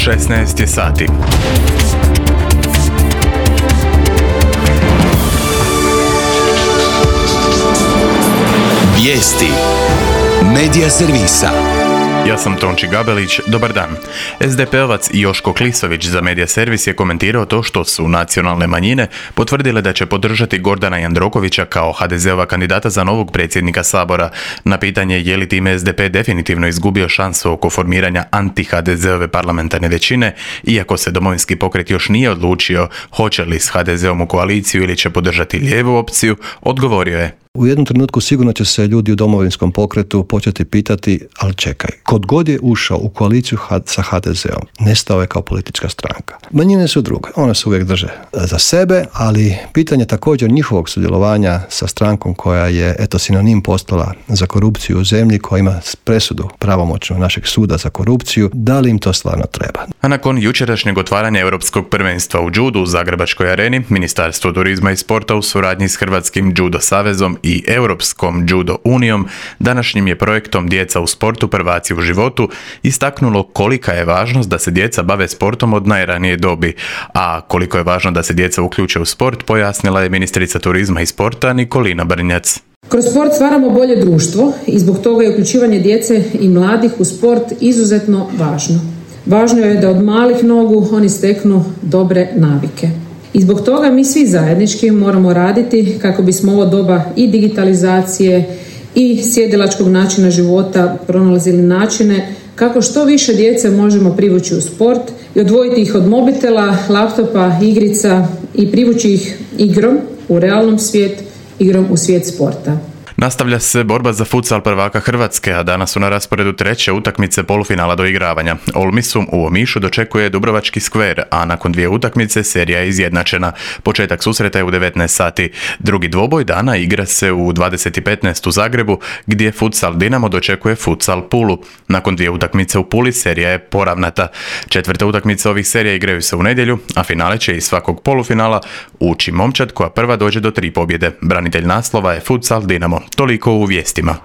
16 je sati. Vijesti Medija servisa. Ja sam Tonči Gabelić, dobar dan. SDP-ovac Joško Klisović za Medija servis je komentirao to što su nacionalne manjine potvrdile da će podržati Gordana Jandrokovića kao HDZ-ova kandidata za novog predsjednika Sabora. Na pitanje je li time SDP definitivno izgubio šansu oko formiranja anti-HDZ-ove parlamentarne većine, iako se Domovinski pokret još nije odlučio hoće li s HDZ-om u koaliciju ili će podržati lijevu opciju, odgovorio je: u jednom trenutku sigurno će se ljudi u Domovinskom pokretu početi pitati, ali čekaj, kod god je ušao u koaliciju sa HDZ-om, nestao je kao politička stranka. Manjine su druge, one se uvijek drže za sebe, ali pitanje također njihovog sudjelovanja sa strankom koja je sinonim postala za korupciju u zemlji, koja ima presudu pravomoćnu našeg suda za korupciju, da li im to stvarno treba? A nakon jučerašnjeg otvaranja Europskog prvenstva u judu u Zagrebačkoj areni, Ministarstvo turizma i sporta u suradnji s Hrvatskim judo savezom i Europskom judo unijom, današnjim je projektom Djeca u sportu, prvaci u životu, istaknulo kolika je važnost da se djeca bave sportom od najranije dobi. A koliko je važno da se djeca uključe u sport, pojasnila je ministrica turizma i sporta Nikolina Brnjac. Kroz sport stvaramo bolje društvo i zbog toga je uključivanje djece i mladih u sport izuzetno važno. Važno je da od malih nogu oni steknu dobre navike. I zbog toga mi svi zajednički moramo raditi kako bismo ovo doba i digitalizacije i sjedilačkog načina života pronalazili načine kako što više djece možemo privući u sport i odvojiti ih od mobitela, laptopa, igrica i privući ih igrom u realnom svijet, igrom u svijet sporta. Nastavlja se borba za futsal prvaka Hrvatske, a danas su na rasporedu treće utakmice polufinala doigravanja. Olmisum u Omišu dočekuje Dubrovački skver, a nakon dvije utakmice serija je izjednačena. Početak susreta je u 19 sati. Drugi dvoboj dana igra se u 20:15 u Zagrebu, gdje futsal Dinamo dočekuje futsal Pulu. Nakon dvije utakmice u Puli serija je poravnata. Četvrte utakmice ovih serija igraju se u nedjelju, a finale će iz svakog polufinala ući momčad koja prva dođe do 3 pobjede. Branitelj naslova je futsal Dinamo. Toliko u vijestima.